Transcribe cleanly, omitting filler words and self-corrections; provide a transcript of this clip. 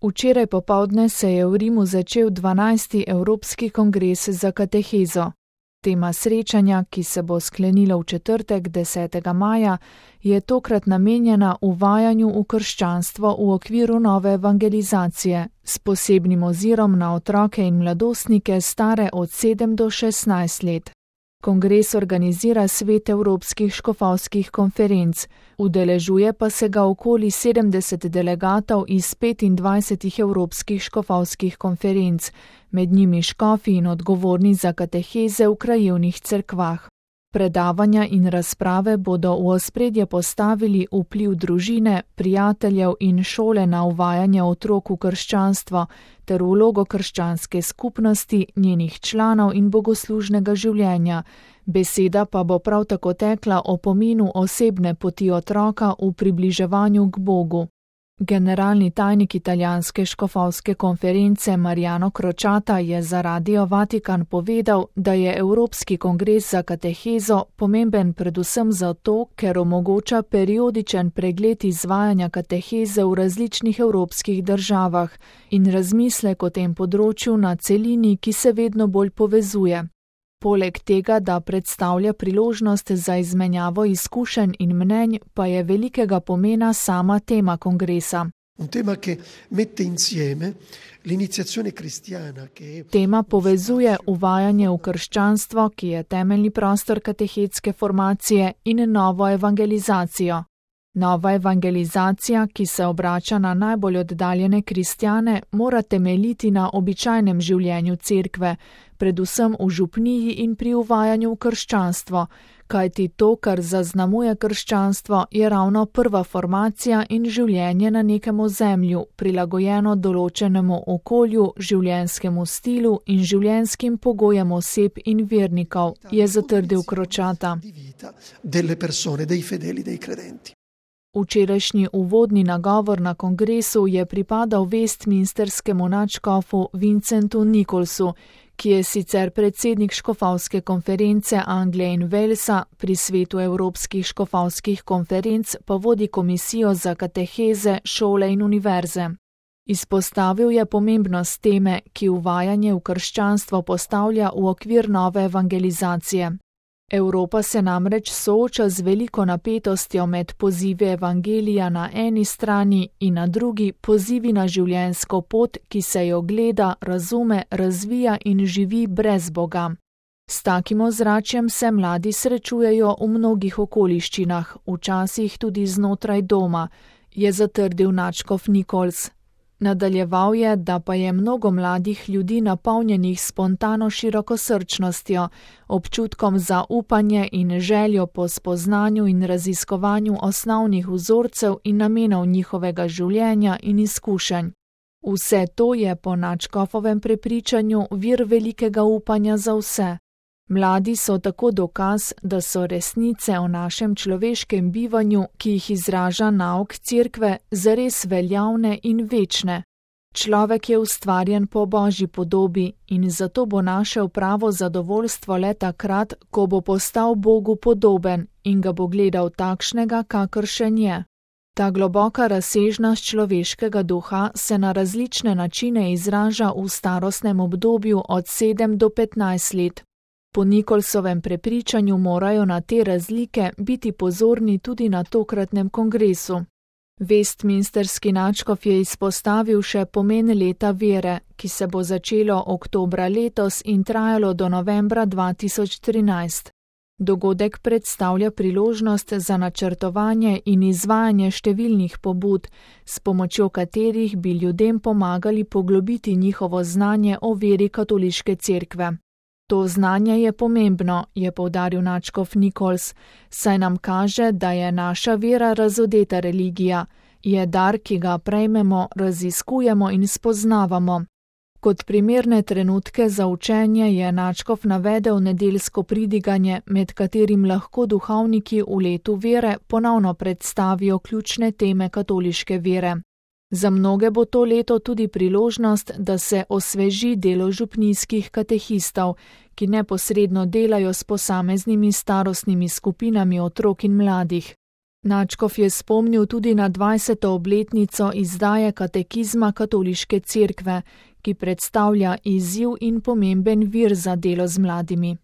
Včeraj popoldne se je v Rimu začel 12. Evropski kongres za katehezo. Tema srečanja, ki se bo sklenilo v četrtek 10. maja, je tokrat namenjena uvajanju v krščanstvo v okviru nove evangelizacije, s posebnim ozirom na otroke in mladostnike stare od 7 do 16 let. Kongres organizira Svet evropskih škofovskih konferenc, udeležuje pa se ga okoli 70 delegatov iz 25 evropskih škofovskih konferenc, med njimi škofi in odgovorni za kateheze v krajevnih cerkvah. Predavanja in razprave bodo v ospredje postavili vpliv družine, prijateljev in šole na uvajanje otrok v krščanstvo ter vlogo krščanske skupnosti, njenih članov in bogoslužnega življenja. Beseda pa bo prav tako tekla o pomenu osebne poti otroka v približevanju k Bogu. Generalni tajnik italijanske škofovske konference Mariano Crociata je za Radio Vatikan povedal, da je Evropski kongres za katehezo pomemben predvsem zato, ker omogoča periodičen pregled izvajanja kateheze v različnih evropskih državah in razmislek o tem področju na celini, ki se vedno bolj povezuje. Poleg tega, da predstavlja priložnost za izmenjavo izkušenj in mnenj, pa je velikega pomena sama tema kongresa. Tema povezuje uvajanje v krščanstvo, ki je temeljni prostor katehetske formacije, in novo evangelizacijo. Nova evangelizacija, ki se obrača na najbolj oddaljene kristjane, mora temeljiti na običajnem življenju cerkve, predvsem v župniji in pri uvajanju v krščanstvo, kajti to, kar zaznamuje krščanstvo, je ravno prva formacija in življenje na nekem ozemlju, prilagojeno določenemu okolju, življenjskemu stilu in življenjskim pogojem oseb in vernikov, je zatrdil Crociata. Včerajšnji uvodni nagovor na kongresu je pripadal westminsterskemu nadškofu Vincentu Nicholsu, ki je sicer predsednik škofovske konference Anglije in Walesa, pri Svetu evropskih škofovskih konferenc pa vodi komisijo za kateheze, šole in univerze. Izpostavil je pomembnost teme, ki uvajanje v krščanstvo postavlja v okvir nove evangelizacije. Evropa se namreč sooča z veliko napetostjo med pozivi evangelija na eni strani in na drugi pozivi na življenjsko pot, ki se jo gleda, razume, razvija in živi brez Boga. S takim ozračjem se mladi srečujejo v mnogih okoliščinah, včasih tudi znotraj doma, je zatrdil nadškof Nichols. Nadaljeval je, da pa je mnogo mladih ljudi napolnjenih spontano širokosrčnostjo, občutkom za upanje in željo po spoznanju in raziskovanju osnovnih vzorcev in namenov njihovega življenja in izkušenj. Vse to je po nadškofovem prepričanju vir velikega upanja za vse. Mladi so tako dokaz, da so resnice o našem človeškem bivanju, ki jih izraža nauk cerkve, zares veljavne in večne. Človek je ustvarjen po Božji podobi in zato bo našel pravo zadovoljstvo le takrat, ko bo postal Bogu podoben in ga bo gledal takšnega, kakršen je. Ta globoka razsežnost človeškega duha se na različne načine izraža v starostnem obdobju od 7 do 15 let. Po Nicholsovem prepričanju morajo na te razlike biti pozorni tudi na tokratnem kongresu. Westminsterski nadškof je izpostavil še pomen leta vere, ki se bo začelo oktobra letos in trajalo do novembra 2013. Dogodek predstavlja priložnost za načrtovanje in izvajanje številnih pobud, s pomočjo katerih bi ljudem pomagali poglobiti njihovo znanje o veri katoliške cerkve. To znanje je pomembno, je poudaril nadškof Nichols, saj nam kaže, da je naša vera razodeta religija, je dar, ki ga prejmemo, raziskujemo in spoznavamo. Kot primerne trenutke za učenje je nadškof navedel nedeljsko pridiganje, med katerim lahko duhovniki v letu vere ponovno predstavijo ključne teme katoliške vere. Za mnoge bo to leto tudi priložnost, da se osveži delo župnijskih katehistov, ki neposredno delajo s posameznimi starostnimi skupinami otrok in mladih. Nadškof je spomnil tudi na 20. obletnico izdaje katekizma Katoliške cerkve, ki predstavlja izziv in pomemben vir za delo z mladimi.